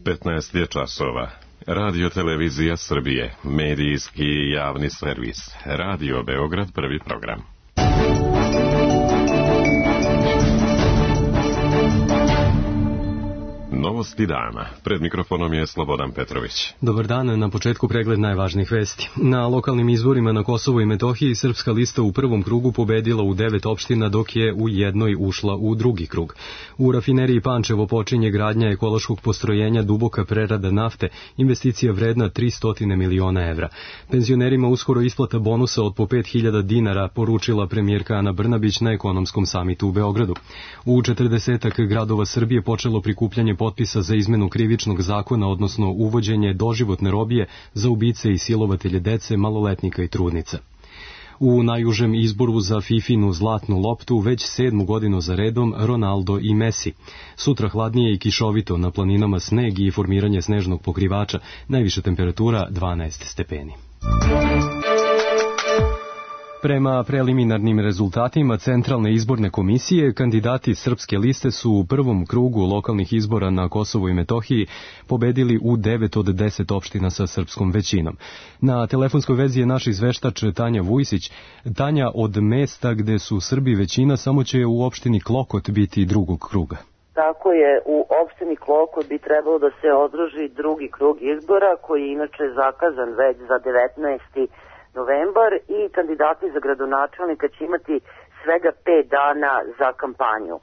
15 je časova. Radio Televizija Srbije, medijski javni servis. Radio Beograd, prvi program. Novosti dana. Pred mikrofonom je Slobodan Petrović. Dobar dan, na početku pregled najvažnijih vesti. Na lokalnim izborima na Kosovu i Metohiji Srpska lista u prvom krugu pobedila u 9 opština, dok je u jednoj ušla u drugi krug. U rafineriji Pančevo počinje gradnja ekološkog postrojenja duboka prerada nafte, investicija vredna 300 miliona evra. Penzionerima uskoro isplata bonusa od po 5.000 dinara, poručila premijerka Ana Brnabić na ekonomskom samitu u Beogradu. U 40 gradova Srbije počelo prikupljanje potpisa za izmenu krivičnog zakona, odnosno uvođenje doživotne robije za ubice i silovatelje dece, maloletnika i trudnica. U najužem izboru za Fifinu zlatnu loptu već 7. godinu za redom Ronaldo i Messi. Sutra hladnije i kišovito, na planinama sneg i formiranje snežnog pokrivača, najviša temperatura 12 stepeni. Prema preliminarnim rezultatima Centralne izborne komisije, kandidati Srpske liste su u prvom krugu lokalnih izbora na Kosovu i Metohiji pobedili u 9 od 10 opština sa srpskom većinom. Na telefonskoj vezi je naš izveštač Tanja Vujsić. Tanja, od mesta gde su Srbi većina, samo će u opštini Klokot biti drugog kruga. Tako je, u opštini Klokot bi trebalo da se održi drugi krug izbora, koji je inače zakazan već za 19. novembar i kandidati za gradonačelnika će imati svega 5 dana za kampanju.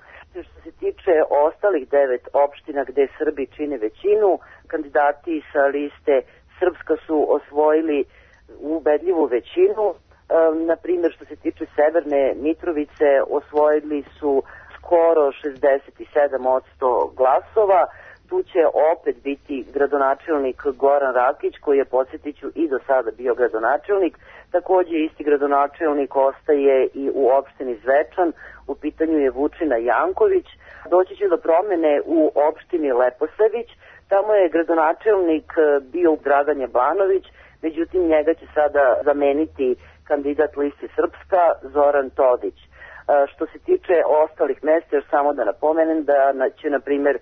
Što se tiče ostalih 9 opština gde Srbi čine većinu, kandidati sa liste Srpska su osvojili ubedljivu većinu. Na primjer, što se tiče Severne Mitrovice, osvojili su skoro 67% glasova. Tu će opet biti gradonačelnik Goran Rakić, koji je, podsjetiću, i do sada bio gradonačelnik. Takođe isti gradonačelnik ostaje i u opštini Zvečan, u pitanju je Vučina Janković. Doći će do promene u opštini Leposavić, tamo je gradonačelnik bio Dragan Jablanović, međutim njega će sada zameniti kandidat liste Srpska Zoran Todić. Što se tiče ostalih mesta, još samo da napomenem da će, na primjer,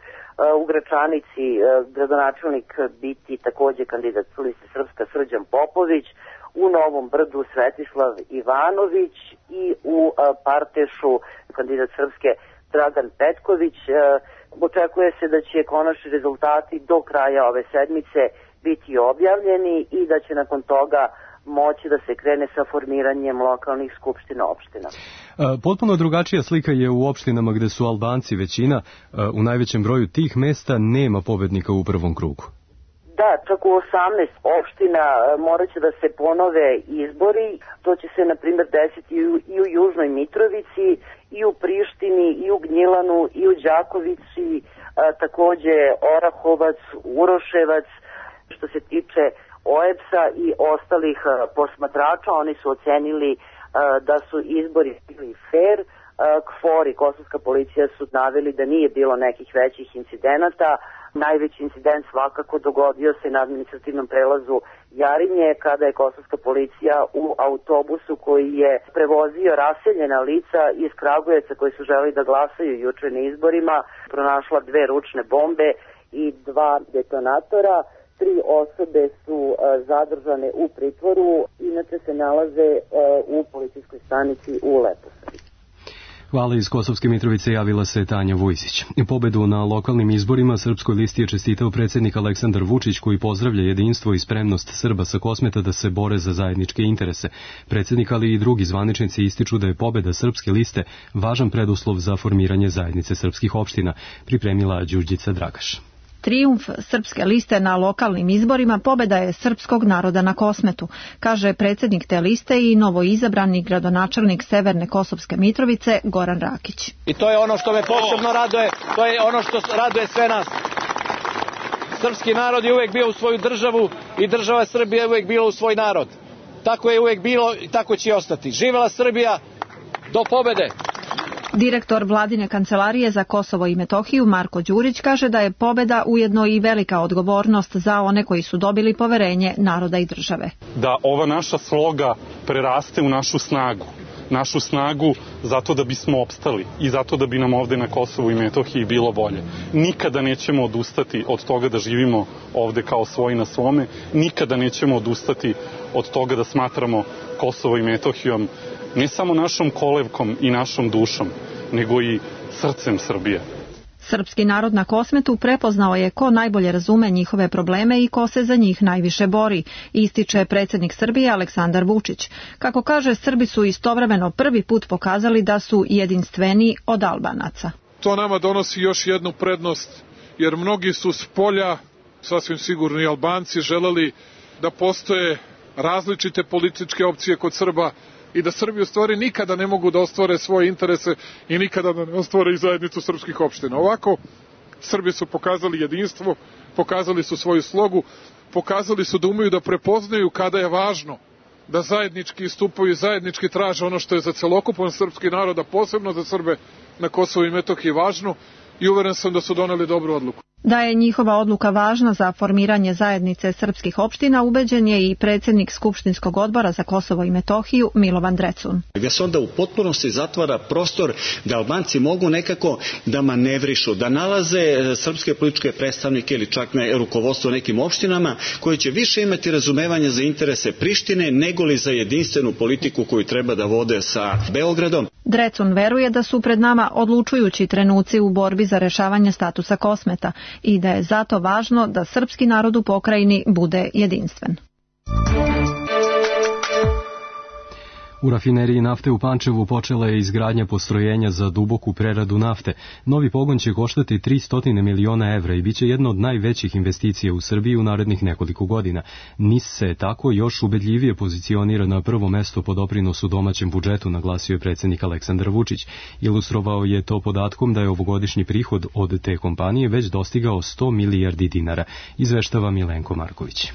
u Gračanici gradonačelnik biti takođe kandidat liste Srpska Srđan Popović, u Novom Brdu Svetislav Ivanović i u Partešu kandidat Srpske Dragan Petković. Očekuje se da će konačni rezultati do kraja ove sedmice biti objavljeni i da će nakon toga moći da se krene sa formiranjem lokalnih skupština opština. Potpuno drugačija slika je u opštinama gde su Albanci većina. U najvećem broju tih mesta nema pobednika u prvom krugu. Da, čak u 18 opština morat će da se ponove izbori. To će se, na primjer, desiti i u Južnoj Mitrovici, i u Prištini, i u Gnjilanu, i u Đakovici, takođe Orahovac, Uroševac. Što se tiče OEBS-a i ostalih posmatrača, oni su ocenili da su izbori bili fair. KFOR i Kosovska policija su naveli da nije bilo nekih većih incidenata. Najveći incident svakako dogodio se na administrativnom prelazu Jarinje, kada je Kosovska policija u autobusu koji je prevozio raseljena lica iz Kragujevca koji su želeli da glasaju juče na izborima, pronašla 2 ručne bombe i 2 detonatora. 3 osobe su zadržane u pritvoru, inače se nalaze u policijskoj stanici u Leposaviću. Hvala, iz Kosovske Mitrovice javila se Tanja Vujsić. Pobedu na lokalnim izborima Srpskoj listi je čestitao predsjednik Aleksandar Vučić, koji pozdravlja jedinstvo i spremnost Srba sa Kosmeta da se bore za zajedničke interese. Predsjednik, ali i drugi zvaničnici ističu da je pobeda Srpske liste važan preduslov za formiranje zajednice srpskih opština, pripremila Đurđica Dragaš. Trijumf Srpske liste na lokalnim izborima pobeda je srpskog naroda na Kosmetu, kaže predsjednik te liste i novoizabrani gradonačelnik Severne Kosovske Mitrovice Goran Rakić. I to je ono što me posebno raduje, to je ono što raduje sve nas. Srpski narod je uvek bio u svoju državu i država Srbija je uvek bila u svoj narod. Tako je uvek bilo i tako će ostati. Živela Srbija do pobede! Direktor Vladine kancelarije za Kosovo i Metohiju Marko Đurić kaže da je pobeda ujedno i velika odgovornost za one koji su dobili poverenje naroda i države. Da ova naša sloga preraste u našu snagu. našu snagu zato da bismo opstali i zato da bi nam ovde na Kosovu i Metohiji bilo bolje. Nikada nećemo odustati od toga da živimo ovde kao svoji na svome, nikada nećemo odustati od toga da smatramo Kosovo i Metohijom ne samo našom kolevkom i našom dušom, nego i srcem Srbije. Srpski narod na Kosmetu prepoznao je ko najbolje razume njihove probleme i ko se za njih najviše bori, ističe predsjednik Srbije Aleksandar Vučić. Kako kaže, Srbi su istovremeno prvi put pokazali da su jedinstveni od Albanaca. To nama donosi još jednu prednost, jer mnogi su s polja, sasvim sigurno i Albanci, želeli da postoje različite političke opcije kod Srba i da Srbi u stvari nikada ne mogu da ostvare svoje interese i nikada da ne ostvare i zajednicu srpskih opština. Ovako, Srbi su pokazali jedinstvo, pokazali su svoju slogu, pokazali su da umeju da prepoznaju kada je važno da zajednički istupaju i zajednički traže ono što je za celokupan srpski narod, a posebno za Srbe na Kosovu i Metohiji važno, i uveren sam da su doneli dobru odluku. Da je njihova odluka važna za formiranje zajednice srpskih opština, ubeđen je i predsjednik Skupštinskog odbora za Kosovo i Metohiju Milovan Drecun. Gdje se onda u potpunosti zatvara prostor da Albanci mogu nekako da manevrišu, da nalaze srpske političke predstavnike ili čak rukovodstvo nekim opštinama koji će više imati razumevanja za interese Prištine nego li za jedinstvenu politiku koju treba da vode sa Beogradom. Drecun veruje da su pred nama odlučujući trenuci u borbi za rešavanje statusa Kosmeta i da je zato važno da srpski narod u pokrajini bude jedinstven. U rafineriji nafte u Pančevu počela je izgradnja postrojenja za duboku preradu nafte. Novi pogon će koštati 300 miliona evra i bit će jedna od najvećih investicija u Srbiji u narednih nekoliko godina. NIS se tako još ubedljivije pozicionira na prvo mesto po doprinosu domaćem budžetu, naglasio je predsjednik Aleksandar Vučić. Ilustrovao je to podatkom da je ovogodišnji prihod od te kompanije već dostigao 100 milijardi dinara, izveštava Milenko Marković.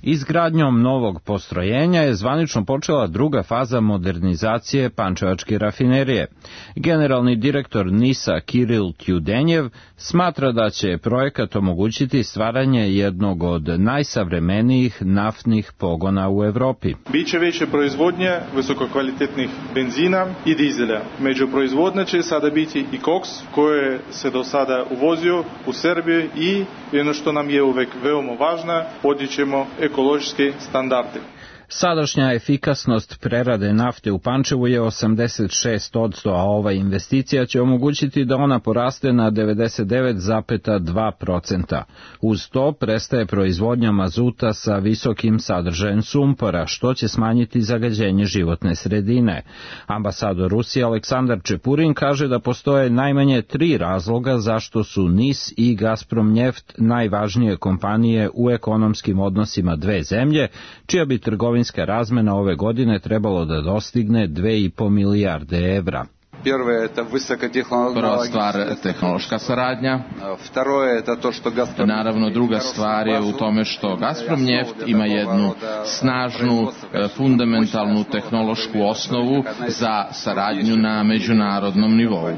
Izgradnjom novog postrojenja je zvanično počela druga faza modernizacije pančevačke rafinerije. Generalni direktor NIS-a Kiril Tjudenjev smatra da će projekat omogućiti stvaranje jednog od najsavremenijih naftnih pogona u Evropi. Biće veća proizvodnja visokokvalitetnih benzina i dizela. Među proizvodnja će sada biti i koks, koje se do sada uvozio u Srbiji i ono što nam je uvek veoma važno, podićemo ekološke standarde. Sadašnja efikasnost prerade nafte u Pančevu je 86%, a ova investicija će omogućiti da ona poraste na 99,2%. Uz to prestaje proizvodnja mazuta sa visokim sadržajem sumpora, što će smanjiti zagađenje životne sredine. Ambasador Rusije Aleksandar Čepurin kaže da postoje najmanje 3 razloga zašto su NIS i Gazpromnjeft najvažnije kompanije u ekonomskim odnosima dve zemlje, čija bi trgovinska razmena ove godine trebalo da dostigne 2,5 milijarde evra. Prva stvar, tehnološka saradnja. Naravno, druga stvar je u tome što Gazpromnjeft ima jednu snažnu, fundamentalnu tehnološku osnovu za saradnju na međunarodnom nivou.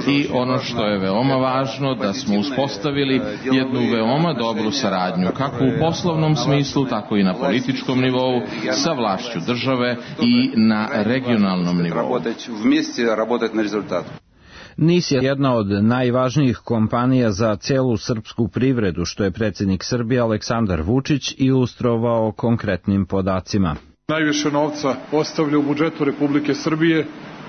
I ono što je veoma važno, da smo uspostavili jednu veoma dobru saradnju, kako u poslovnom smislu, tako i na političkom nivou, sa vlašću države i na regionalnom nivou. NIS je jedna od najvažnijih kompanija za celu srpsku privredu, što je predsjednik Srbije Aleksandar Vučić ilustrovao konkretnim podacima. Najviše novca ostavlja u budžetu Republike Srbije.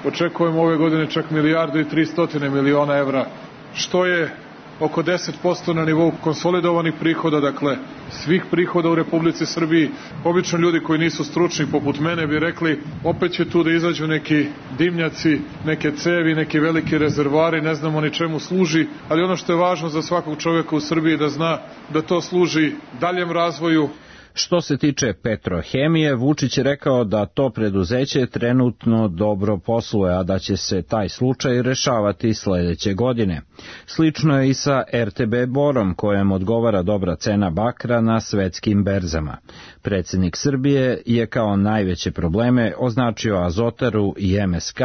Očekujemo ove godine čak 1,3 milijarde evra, što je oko 10% na nivou konsolidovanih prihoda, dakle svih prihoda u Republici Srbiji. Obično ljudi koji nisu stručni poput mene bi rekli opet će tu da izađu neki dimnjaci, neke cevi, neki veliki rezervari, ne znamo ni čemu služi, ali ono što je važno za svakog čovjeka u Srbiji da zna da to služi daljem razvoju. Što se tiče Petrohemije, Vučić je rekao da to preduzeće trenutno dobro posluje, a da će se taj slučaj rešavati sledeće godine. Slično je i sa RTB Borom, kojem odgovara dobra cena bakra na svetskim berzama. Predsjednik Srbije je kao najveće probleme označio Azotaru i MSK,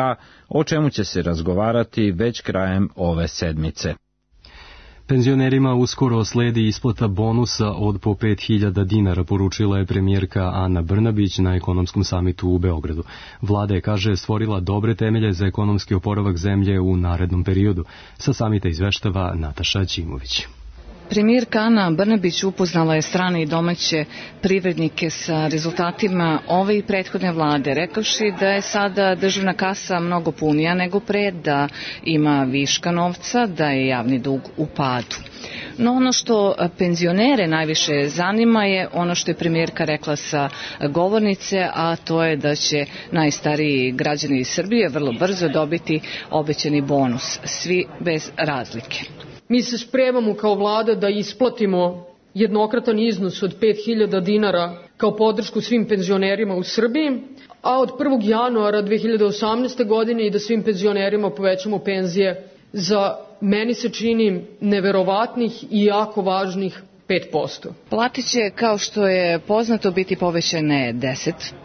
o čemu će se razgovarati već krajem ove sedmice. Penzionerima uskoro sledi isplata bonusa od po 5.000 dinara, poručila je premijerka Ana Brnabić na ekonomskom samitu u Beogradu. Vlada je, kaže, stvorila dobre temelje za ekonomski oporavak zemlje u narednom periodu. Sa samita izveštava Nataša Ćimović. Premijerka Ana Brnabić upoznala je strane i domaće privrednike sa rezultatima ove i prethodne vlade, rekavši da je sada državna kasa mnogo punija nego pre, da ima viška novca, da je javni dug u padu. No ono što penzionere najviše zanima je ono što je premijerka rekla sa govornice, a to je da će najstariji građani Srbije vrlo brzo dobiti obećani bonus, svi bez razlike. Mi se spremamo kao vlada da isplatimo jednokratan iznos od 5.000 dinara kao podršku svim penzionerima u Srbiji, a od 1. januara 2018. godine i da svim penzionerima povećamo penzije za, meni se čini, neverovatnih i jako važnih 5%. Plate će, kao što je poznato, biti povećane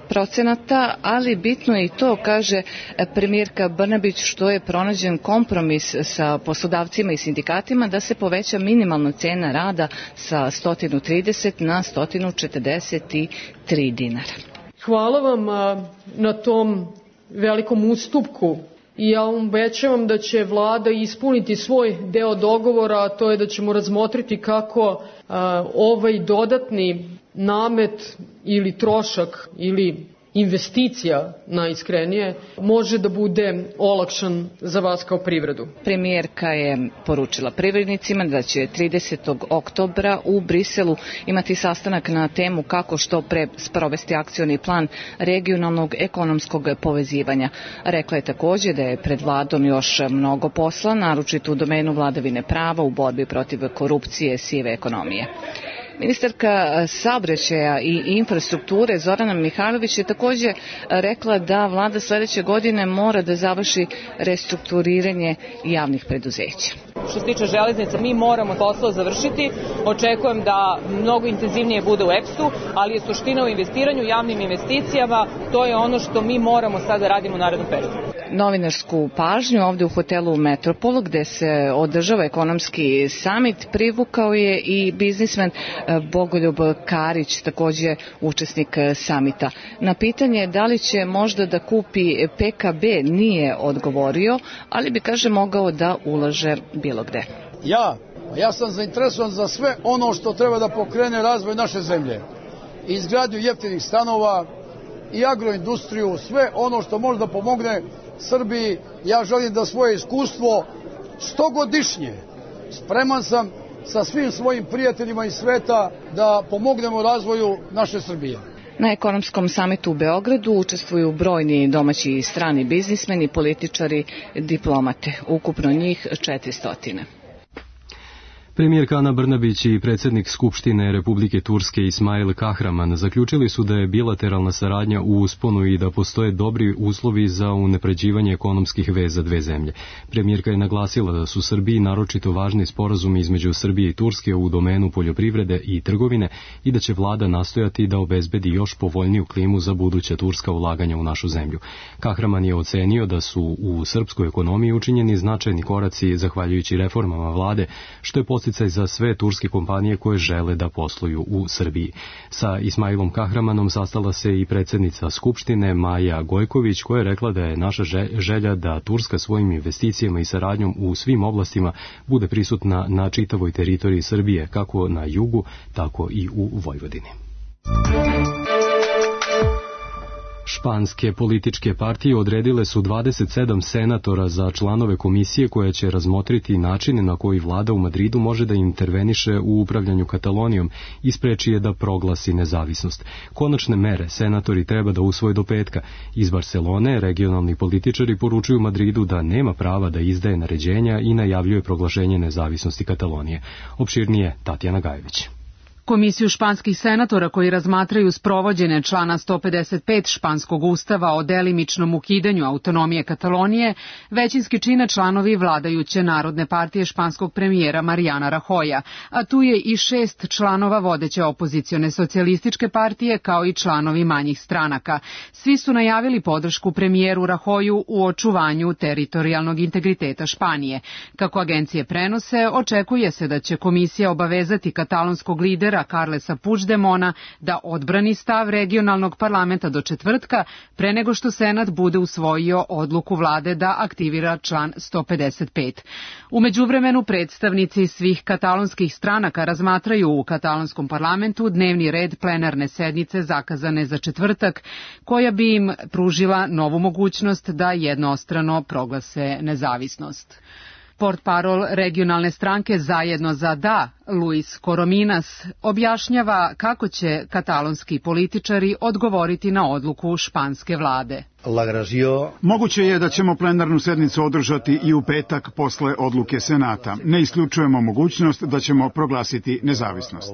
10%, ali bitno je i to, kaže premijerka Brnabić, što je pronađen kompromis sa poslodavcima i sindikatima da se poveća minimalna cena rada sa 130 na 143 dinara. Hvala vam na tom velikom ustupku. I ja vam obećavam da će vlada ispuniti svoj deo dogovora, a to je da ćemo razmotriti kako ovaj dodatni namet ili trošak ili investicija, najiskrenije, može da bude olakšan za vas kao privredu. Premijerka je poručila privrednicima da će 30. oktobra u Briselu imati sastanak na temu kako što pre sprovesti akcioni plan regionalnog ekonomskog povezivanja. Rekla je takođe da je pred vladom još mnogo posla, naročito u domenu vladavine prava, u borbi protiv korupcije, sive ekonomije. Ministarka saobraćaja i infrastrukture Zorana Mihajlović je takođe rekla da vlada sledeće godine mora da završi restrukturiranje javnih preduzeća. Što se tiče železnica, mi moramo posao završiti. Očekujem da mnogo intenzivnije bude u EPS-u, ali je suština u investiranju, javnim investicijama. To je ono što mi moramo sada da radimo u narednom periodu. Novinarsku pažnju ovde u hotelu Metropol, gde se održava ekonomski samit, privukao je i biznismen Bogoljub Karić, takođe učesnik samita. Na pitanje da li će možda da kupi PKB nije odgovorio, ali bi, kaže, mogao da ulaže bilo gde. Ja sam zainteresovan za sve ono što treba da pokrene razvoj naše zemlje. Izgradnju jeftinih stanova i agroindustriju, sve ono što može da pomogne Srbiji. Ja želim da svoje iskustvo 100-godišnje spreman sam sa svim svojim prijateljima iz sveta da pomognemo razvoju naše Srbije. Na ekonomskom samitu u Beogradu učestvuju brojni domaći i strani biznismeni, političari, diplomate, ukupno njih 400. Premijerka Ana Brnabić i predsjednik Skupštine Republike Turske Ismail Kahraman zaključili su da je bilateralna saradnja u usponu i da postoje dobri uslovi za unapređivanje ekonomskih veza dve zemlje. Premijerka je naglasila da su Srbiji naročito važni sporazumi između Srbije i Turske u domenu poljoprivrede i trgovine i da će vlada nastojati da obezbedi još povoljniju klimu za buduća turska ulaganja u našu zemlju. Kahraman je ocenio da su u srpskoj ekonomiji učinjeni značajni koraci zahvaljujući reformama vlade, što je podsticaj za sve turske kompanije koje žele da posluju u Srbiji. Sa Ismailom Kahramanom sastala se i predsjednica Skupštine Maja Gojković, koja je rekla da je naša želja da Turska svojim investicijama i saradnjom u svim oblastima bude prisutna na čitavoj teritoriji Srbije, kako na jugu, tako i u Vojvodini. Španske političke partije odredile su 27 senatora za članove komisije koja će razmotriti načine na koji vlada u Madridu može da interveniše u upravljanju Katalonijom i spreči je da proglasi nezavisnost. Konačne mere senatori treba da usvoje do petka. Iz Barcelone regionalni političari poručuju Madridu da nema prava da izdaje naređenja i najavljuje proglašenje nezavisnosti Katalonije. Opširnije Tatjana Gajević. Komisiju španskih senatora koji razmatraju sprovođenje člana 155 španskog ustava o delimičnom ukidanju autonomije Katalonije većinski čine članovi vladajuće Narodne partije španskog premijera Mariana Rajoya, a tu je i 6 članova vodeće opozicione socijalističke partije kao i članovi manjih stranaka. Svi su najavili podršku premijeru Rajoyu u očuvanju teritorijalnog integriteta Španije. Kako agencije prenose, očekuje se da će komisija obavezati katalonskog lidera Carlesa Puigdemona da odbrani stav regionalnog parlamenta do četvrtka, pre nego što Senat bude usvojio odluku vlade da aktivira član 155. U međuvremenu predstavnici svih katalonskih stranaka razmatraju u katalonskom parlamentu dnevni red plenarne sednice zakazane za četvrtak, koja bi im pružila novu mogućnost da jednostrano proglase nezavisnost. Portparol regionalne stranke Zajedno za da, Luis Corominas, objašnjava kako će katalonski političari odgovoriti na odluku španske vlade. Moguće je da ćemo plenarnu sednicu održati i u petak posle odluke Senata. Ne isključujemo mogućnost da ćemo proglasiti nezavisnost.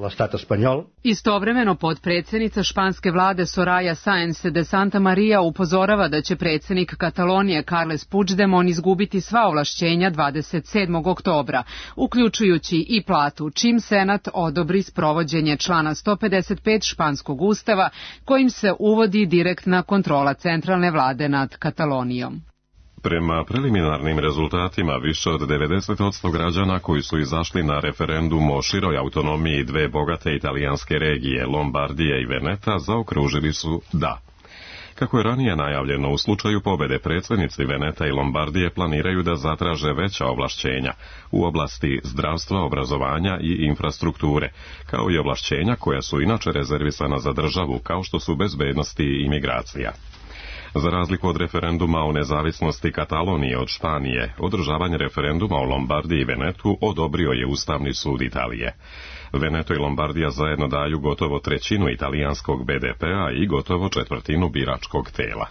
Istovremeno potpredsjednica španske vlade Soraya Sáenz de Santa Maria upozorava da će predsjednik Katalonije Carles Puigdemont izgubiti sva ovlašćenja 27. oktobra, uključujući i platu, čim Senat odobri sprovođenje člana 155 španskog ustava, kojim se uvodi direktna kontrola centralne vlade nad Katalonijom. Prema preliminarnim rezultatima, više od 90% građana koji su izašli na referendum o široj autonomiji dve bogate italijanske regije, Lombardije i Veneta, zaokružili su da. Kako je ranije najavljeno, u slučaju pobede predsjednici Veneta i Lombardije planiraju da zatraže veća ovlašćenja u oblasti zdravstva, obrazovanja i infrastrukture, kao i ovlašćenja koja su inače rezervisana za državu, kao što su bezbednosti i imigracija. Za razliku od referenduma o nezavisnosti Katalonije od Španije, održavanje referenduma o Lombardiji i Venetu odobrio je Ustavni sud Italije. Veneto i Lombardija zajedno daju gotovo trećinu italijanskog BDP-a i gotovo četvrtinu biračkog tela.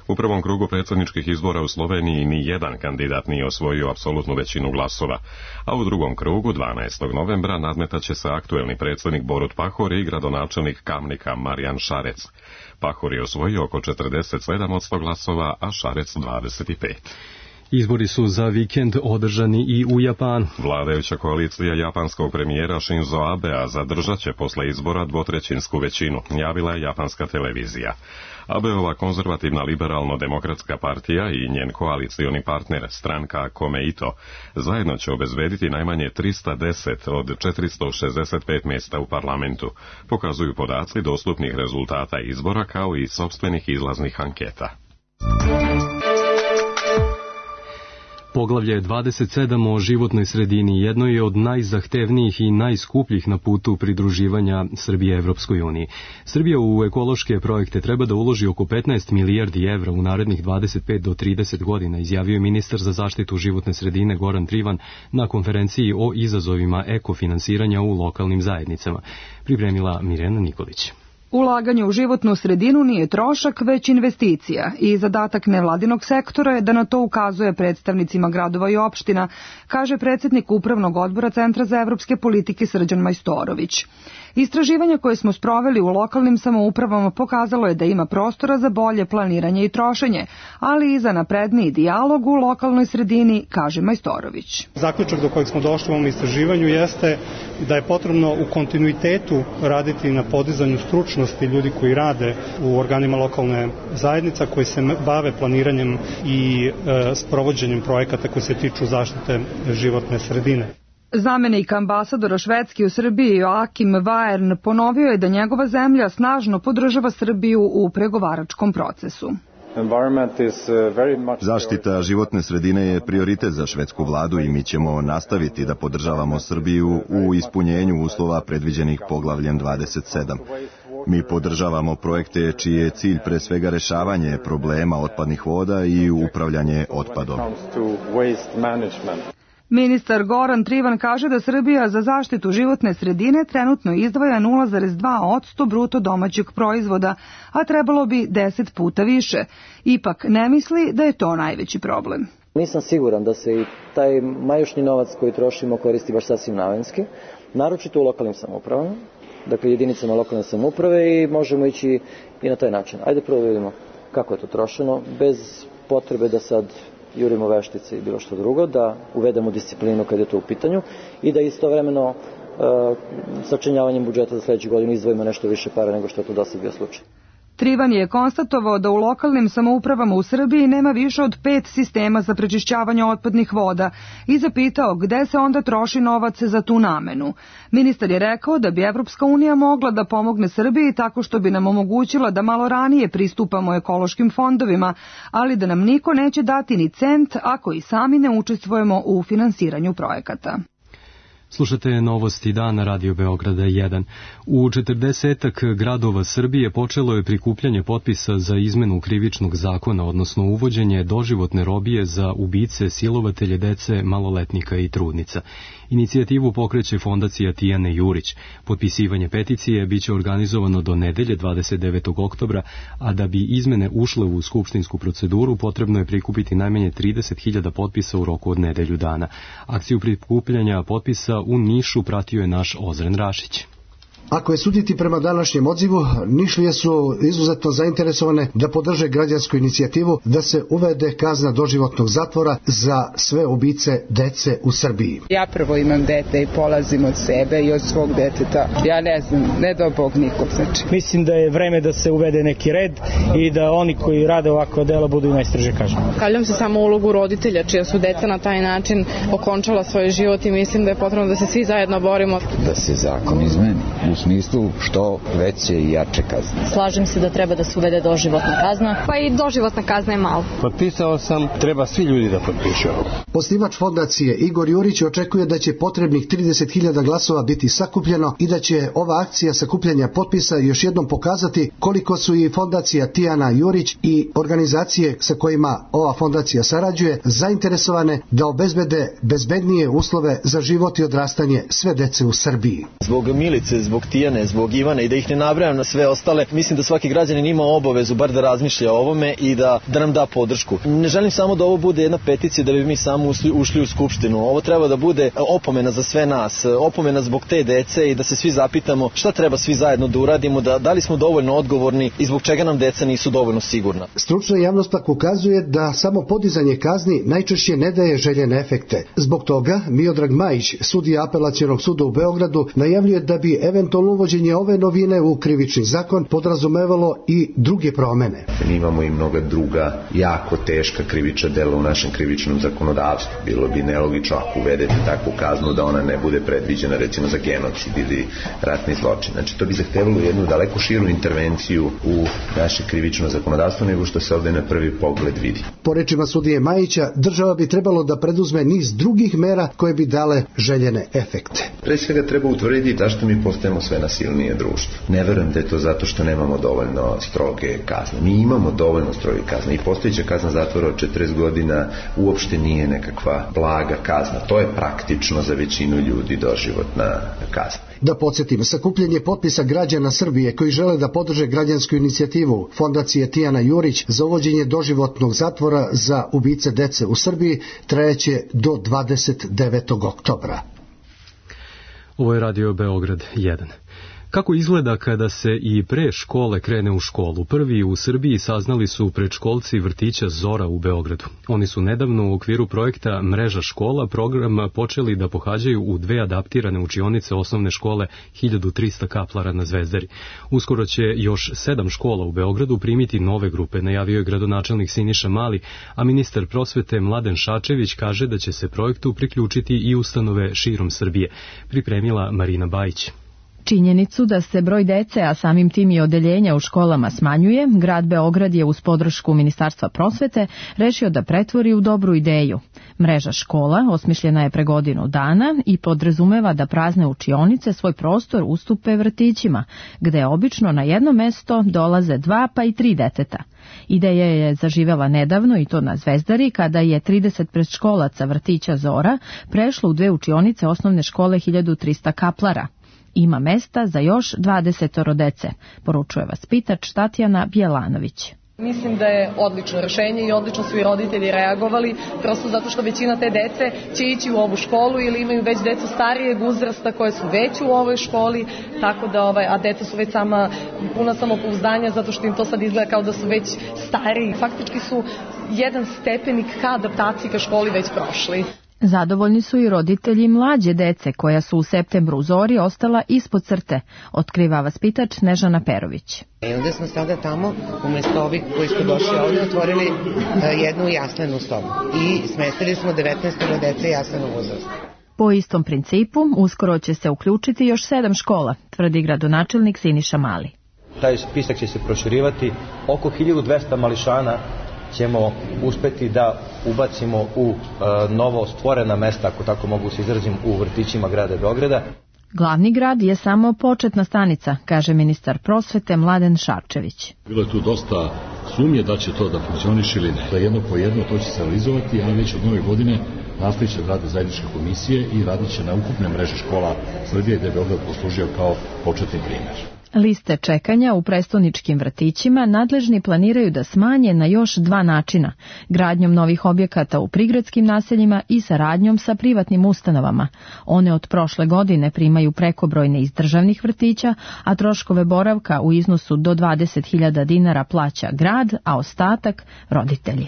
U prvom krugu predsjedničkih izbora u Sloveniji ni jedan kandidat nije osvojio apsolutnu većinu glasova, a u drugom krugu 12. novembra nadmetaće se aktuelni predsjednik Borut Pahor i gradonačelnik Kamnika Marijan Šarec. Pahor je osvojio oko 47% glasova, a Šarec 25%. Izbori su za vikend održani i u Japanu. Vladajuća koalicija japanskog premijera Shinzo Abea zadržat će posle izbora dvotrećinsku većinu, javila je japanska televizija. Abeova konzervativna liberalno-demokratska partija i njen koalicioni partner, stranka Komeito, zajedno će obezbediti najmanje 310 od 465 mjesta u parlamentu, pokazuju podaci dostupnih rezultata izbora kao i sopstvenih izlaznih anketa. Poglavlje 27 o životnoj sredini jedno je od najzahtevnijih i najskupljih na putu pridruživanja Srbije Evropskoj uniji. Srbija u ekološke projekte treba da uloži oko 15 milijardi evra u narednih 25 do 30 godina, izjavio je ministar za zaštitu životne sredine Goran Trivan na konferenciji o izazovima ekofinansiranja u lokalnim zajednicama. Pripremila Mirjana Nikolić. Ulaganje u životnu sredinu nije trošak, već investicija i zadatak nevladinog sektora je da na to ukazuje predstavnicima gradova i opština, kaže predsjednik Upravnog odbora Centra za evropske politike Srđan Majstorović. Istraživanje koje smo sproveli u lokalnim samoupravama pokazalo je da ima prostora za bolje planiranje i trošenje, ali i za napredniji dijalog u lokalnoj sredini, kaže Majstorović. Zaključak do kojeg smo došli u ovom istraživanju jeste da je potrebno u kontinuitetu raditi na podizanju stručnosti ljudi koji rade u organima lokalne zajednica, koji se bave planiranjem i sprovođenjem projekata koji se tiču zaštite životne sredine. Zamenik ambasadora Švedske u Srbiji Joakim Vajern ponovio je da njegova zemlja snažno podržava Srbiju u pregovaračkom procesu. Zaštita životne sredine je prioritet za švedsku vladu i mi ćemo nastaviti da podržavamo Srbiju u ispunjenju uslova predviđenih poglavljem 27. Mi podržavamo projekte čiji je cilj pre svega rešavanje problema otpadnih voda i upravljanje otpadom. Ministar Goran Trivan kaže da Srbija za zaštitu životne sredine trenutno izdvaja 0,2% bruto domaćeg proizvoda, a trebalo bi 10 puta više. Ipak ne misli da je to najveći problem. Nisam siguran da se i taj majušnji novac koji trošimo koristi baš sasvim namenski, naročito u lokalnim samoupravama, dakle jedinicama lokalne samouprave, i možemo ići i na taj način. Ajde prvo vidimo kako je to trošeno, bez potrebe da sad jurimo veštice i bilo što drugo, da uvedemo disciplinu kad je to u pitanju i da istovremeno sačinjavanjem budžeta za sledeću godinu izdvojimo nešto više para nego što je to do sad bio slučaj. Trivan je konstatovao da u lokalnim samoupravama u Srbiji nema više od 5 sistema za prečišćavanje otpadnih voda i zapitao gde se onda troši novac za tu namenu. Ministar je rekao da bi Evropska unija mogla da pomogne Srbiji tako što bi nam omogućila da malo ranije pristupamo ekološkim fondovima, ali da nam niko neće dati ni cent ako i sami ne učestvujemo u finansiranju projekata. Slušate novosti dana Radio Beograda 1. U 40 gradova Srbije počelo je prikupljanje potpisa za izmenu krivičnog zakona, odnosno uvođenje doživotne robije za ubice, silovatelje dece, maloletnika i trudnica. Inicijativu pokreće fondacija Tijane Jurić. Potpisivanje peticije biće organizovano do nedelje 29. oktobra, a da bi izmene ušle u skupštinsku proceduru potrebno je prikupiti najmanje 30.000 potpisa u roku od nedelju dana. Akciju prikupljanja potpisa u Nišu pratio je naš Ozren Rašić. Ako je suditi prema današnjem odzivu, Nišlije su izuzetno zainteresovane da podrže građansku inicijativu da se uvede kazna doživotnog zatvora za sve ubice dece u Srbiji. Ja prvo imam dete i polazim od sebe i od svog deteta. Ja ne znam, ne do Bog nikog znači. Mislim da je vreme da se uvede neki red i da oni koji rade ovako dela budu i najstrože kažnjeni. Stavljam se samo u ulogu roditelja čija su deca na taj način okončala svoj život i mislim da je potrebno da se svi zajedno borimo. Da se zakon izmeni u smislu što veće i jače kazne. Slažem se da treba da se uvede doživotna kazna, pa i doživotna kazna je malo. Potpisao sam, treba svi ljudi da potpišu. Osnivač fondacije Igor Jurić očekuje da će potrebnih 30.000 glasova biti sakupljeno i da će ova akcija sakupljanja potpisa još jednom pokazati koliko su i fondacija Tijana Jurić i organizacije sa kojima ova fondacija sarađuje zainteresovane da obezbede bezbednije uslove za život i odrastanje sve dece u Srbiji. Zbog Milice, zbog Tijane, zbog Ivana i da ih ne nabrajam na sve ostale, mislim da svaki građanin ima obavezu bar da razmišlja o ovome i da nam da podršku. Ne želim samo da ovo bude jedna peticija da bi mi samo ušli u skupštinu. Ovo treba da bude opomena za sve nas, opomena zbog te dece i da se svi zapitamo šta treba svi zajedno da uradimo, da li smo dovoljno odgovorni i zbog čega nam deca nisu dovoljno sigurna. Stručna javnost pak ukazuje da samo podizanje kazni najčešće ne daje željene efekte. Zbog toga Miodrag Majić, sudija Apelacionog suda u Beogradu, najavljuje da bi eventualno uvođenje ove novine u krivični zakon podrazumevalo i druge promene. Mi imamo i mnoga druga jako teška krivična dela u našem krivičnom zakonodavstvu. Bilo bi nelogično ako uvedete takvu kaznu da ona ne bude predviđena recimo za genocid ili ratni zločin. Znači to bi zahtevalo jednu daleko širu intervenciju u naše krivično zakonodavstvo nego što se ovde na prvi pogled vidi. Po rečima sudije Majića, država bi trebalo da preduzme niz drugih mera koje bi dale željene efekte. Pre svega treba utvrditi zašto mi postajemo sve nasilnije društvo. Ne verujem da je to zato što nemamo dovoljno stroge kazne. Mi imamo dovoljno stroge kazne i postojeća kazna zatvora od 40 godina uopšte nije nekakva blaga kazna. To je praktično za većinu ljudi doživotna kazna. Da podsjetim, sakupljanje potpisa građana Srbije koji žele da podrže građansku inicijativu fondacije Tijana Jurić za uvođenje doživotnog zatvora za ubice dece u Srbiji trajeće do 29. oktobra. Ovo je Radio Beograd 1. Kako izgleda kada se i pre škole krene u školu? Prvi u Srbiji saznali su predškolci vrtića Zora u Beogradu. Oni su nedavno u okviru projekta Mreža škola program počeli da pohađaju u 2 adaptirane učionice osnovne škole 1300 Kaplara na Zvezdari. Uskoro će još 7 škola u Beogradu primiti nove grupe, najavio je gradonačelnik Siniša Mali, a ministar prosvete Mladen Šačević kaže da će se projektu priključiti i ustanove širom Srbije. Pripremila Marina Bajić. Činjenicu da se broj dece, a samim tim i odeljenja u školama smanjuje, grad Beograd je uz podršku Ministarstva prosvete rešio da pretvori u dobru ideju. Mreža škola osmišljena je pre godinu dana i podrazumeva da prazne učionice svoj prostor ustupe vrtićima, gde obično na jedno mesto dolaze 2 pa i 3 deteta. Ideja je zaživela nedavno i to na Zvezdari kada je 30 predškolaca vrtića Zora prešlo u 2 učionice osnovne škole 1300 Kaplara. Ima mesta za još 20 dece, poručuje vaspitač Tatjana Bjelanović. Mislim da je odlično rešenje i odlično su i roditelji reagovali, prosto zato što većina te dece će ići u ovu školu ili imaju već decu starijeg uzrasta koje su već u ovoj školi, tako da a deca su već puna samopouzdanja zato što im to sad izgleda kao da su već stariji. Faktički su jedan stepenik ka adaptaciji ka školi već prošli. Zadovoljni su i roditelji mlađe dece koja su u septembru u Zori ostala ispod crte, otkriva vaspitač Snežana Perović. I onda smo sada tamo, umjesto ovih koji su došli ovdje, otvorili jednu jaslenu sobu i smestili smo 19 dece jaslenog uzrasta. Po istom principu, uskoro će se uključiti još 7 škola, tvrdi gradonačelnik Siniša Mali. Taj spisak će se proširivati, oko 1200 mališana ćemo uspeti da ubacimo u novo stvorena mesta, ako tako mogu se izrazim, u vrtićima grada Beograda. Glavni grad je samo početna stanica, kaže ministar prosvete Mladen Šarčević. Bilo je tu dosta sumnje da će to da funkcioniše ili ne. Da jedno po jedno to će se realizovati, a već od nove godine nastavit će da rade zajedničke komisije i radit će na ukupne mreže škola Srbije, gde je Beograd poslužio kao početni primjer. Liste čekanja u prestoničkim vrtićima nadležni planiraju da smanje na još 2 načina, gradnjom novih objekata u prigradskim naseljima i saradnjom sa privatnim ustanovama. One od prošle godine primaju prekobrojne iz državnih vrtića, a troškove boravka u iznosu do 20.000 dinara plaća grad, a ostatak roditelji.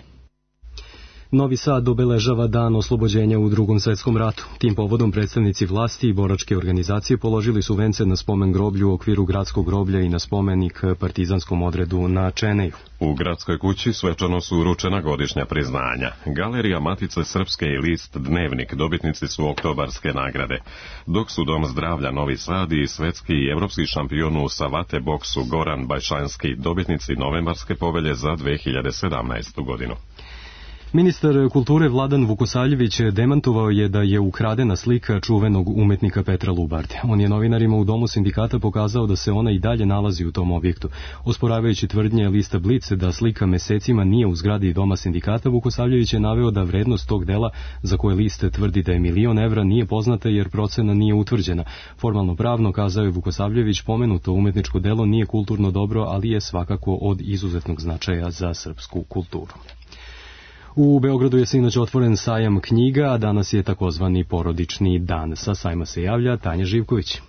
Novi Sad obeležava dan oslobođenja u Drugom svjetskom ratu. Tim povodom predstavnici vlasti i boračke organizacije položili su vence na spomen groblju u okviru gradskog groblja i na spomenik partizanskom odredu na Čeneju. U gradskoj kući svečano su uručena godišnja priznanja. Galerija Matice Srpske i list Dnevnik dobitnici su oktobarske nagrade, dok su Dom zdravlja Novi Sad i svetski i evropski šampion u savate boksu Goran Bajšanski dobitnici novembarske povelje za 2017. godinu. Ministar kulture Vladan Vukosavljević demantovao je da je ukradena slika čuvenog umetnika Petra Lubarde. On je novinarima u Domu sindikata pokazao da se ona i dalje nalazi u tom objektu. Osporavajući tvrdnje lista Blic da slika mesecima nije u zgradi Doma sindikata, Vukosavljević je naveo da vrednost tog dela, za koje list tvrdi da je 1.000.000 evra, nije poznata jer procena nije utvrđena. Formalno pravno, kazao je Vukosavljević, pomenuto umetničko delo nije kulturno dobro, ali je svakako od izuzetnog značaja za srpsku kulturu. U Beogradu je sinoć otvoren sajam knjiga, a danas je takozvani porodični dan. Sa sajma se javlja Tanja Živković.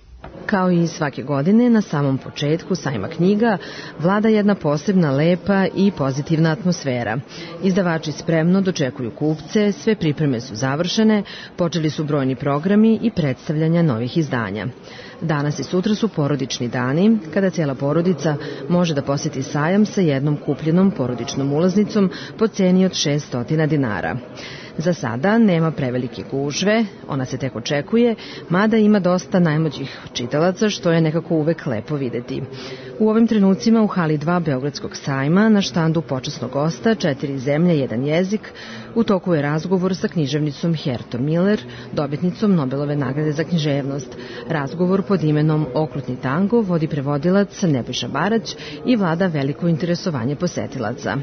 Kao i svake godine, na samom početku sajma knjiga vlada jedna posebna lepa i pozitivna atmosfera. Izdavači spremno dočekuju kupce, sve pripreme su završene, počeli su brojni programi i predstavljanja novih izdanja. Danas i sutra su porodični dani, kada cijela porodica može da posjeti sajam sa jednom kupljenom porodičnom ulaznicom po ceni od 600 dinara. Za sada nema prevelike gužve, ona se tek očekuje, mada ima dosta najmlađih čitalaca, što je nekako uvek lepo videti. U ovim trenucima u hali 2 Beogradskog sajma na štandu počasnog gosta 4 zemlje, 1 jezik, u toku je razgovor sa književnicom Hertom Miller, dobitnicom Nobelove nagrade za književnost. Razgovor pod imenom Okrutni tango vodi prevodilac Nebojša Barać i vlada veliko interesovanje posetilaca.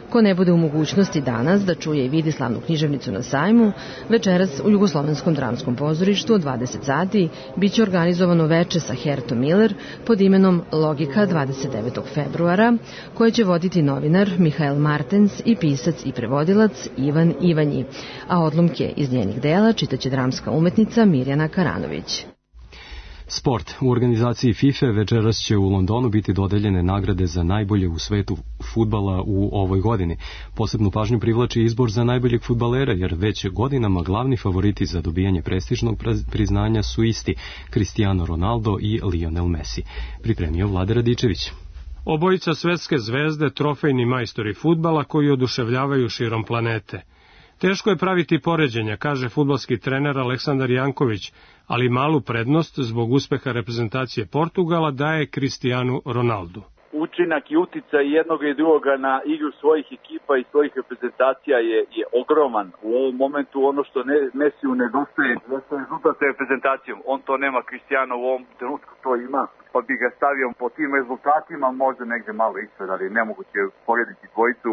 Ko ne bude u mogućnosti danas da čuje i vidi slavnu književnicu na sajmu, večeras u Jugoslovenskom dramskom pozorištu od 20 sati biće organizovano veče sa Hertom Miller pod imenom Logika 29. februara, koje će voditi novinar Mihael Martens i pisac i prevodilac Ivan Ivanji, a odlomke iz njenih dela čitaće dramska umetnica Mirjana Karanović. Sport. U organizaciji FIFA večeras će u Londonu biti dodeljene nagrade za najbolje u svetu fudbala u ovoj godini. Posebnu pažnju privlači izbor za najboljeg fudbalera, jer već godinama glavni favoriti za dobijanje prestižnog priznanja su isti, Cristiano Ronaldo i Lionel Messi. Pripremio Vlada Radičević. Obojica svetske zvezde, trofejni majstori fudbala koji oduševljavaju širom planete. Teško je praviti poređenja, kaže fudbalski trener Aleksandar Janković, ali malu prednost zbog uspeha reprezentacije Portugala daje Cristianu Ronaldu. Učinak i uticaj jednog i drugoga na igru svojih ekipa i svojih reprezentacija je ogroman. U ovom momentu ono što Messiju nedostaje jeste rezultat sa reprezentacijom. On to nema, Cristiano u ovom trenutku to ima, pa bi ga stavio po tim rezultatima možda negde malo ispred, ali nemoguće porediti dvojicu.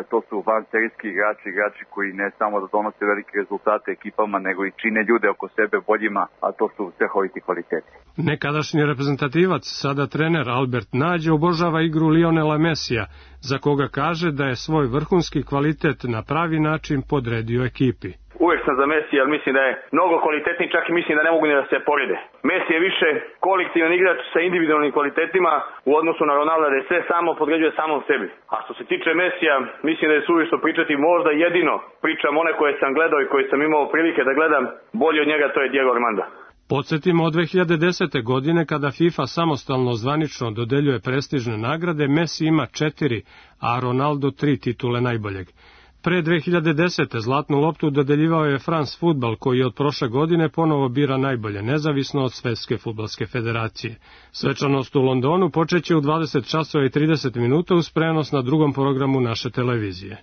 to su vanserijski igrači koji ne samo da donose velike rezultate ekipama, nego i čine ljude oko sebe boljima, a to su strahoviti kvaliteti. Nekadašnji reprezentativac, sada trener Albert Nađe, obožava igru Lionela Mesija, za koga kaže da je svoj vrhunski kvalitet na pravi način podredio ekipi. Uvek sam za Messi, ali mislim da je mnogo kvalitetniji, čak i mislim da ne mogu ni da se porede. Messi je više kolektivan igrač sa individualnim kvalitetima u odnosu na Ronalda, da je sve samo podređuje samom sebi. A što se tiče Messija, mislim da je suvišno pričati, možda jedino pričam one koje sam gledao i koje sam imao prilike da gledam, bolje od njega, to je Diego Armando. Podsjetimo, od 2010. godine, kada FIFA samostalno zvanično dodeljuje prestižne nagrade, Messi ima 4, a Ronaldo 3 titule najboljeg. Pre 2010. zlatnu loptu dodeljivao je France Football, koji od prošle godine ponovo bira najbolje, nezavisno od Svetske fudbalske federacije. Svečanost u Londonu počeće u 20 časova i 30 minuta uz prenos na drugom programu naše televizije.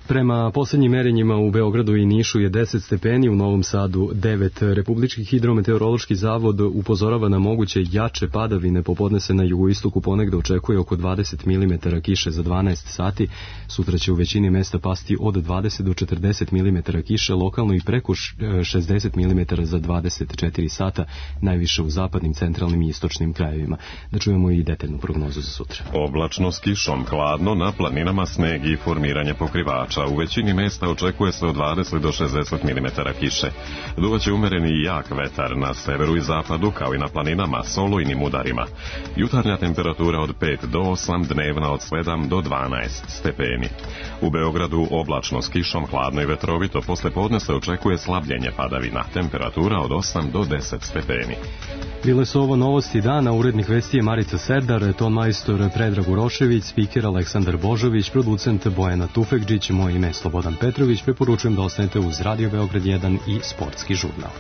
Prema posljednjim merenjima u Beogradu i Nišu je 10 stepeni, u Novom Sadu 9. Republički hidrometeorološki zavod upozorava na moguće jače padavine, popodne se na jugoistoku ponegde očekuje oko 20 mm kiše za 12 sati, sutra će u većini mesta pasti od 20 do 40 mm kiše, lokalno i preko 60 mm za 24 sata, najviše u zapadnim, centralnim i istočnim krajevima. Da čujemo i detaljnu prognozu za sutra. Oblačno s kišom, hladno, na planinama sneg i formiranje pokrivača. U većini mesta očekuje se od 20 do 60 mm kiše. Duvaće umereni i jak vetar na severu i zapadu, kao i na planinama s olujnim udarima. Jutarnja temperatura od 5 do 8, dnevna od 7 do 12 stepeni. U Beogradu oblačno s kišom, hladno i vetrovito, posle podne se očekuje slabljenje padavina. Temperatura od 8 do 10 stepeni. Bile su ovo novosti dana, urednik vesti je Marica Serdar, ton majstor Predrag Urošević, spiker Aleksandar Božović, producent Bojana Tufekđić, moje ime je Slobodan Petrović, preporučujem da ostanete uz Radio Beograd 1 i Sportski žurnal.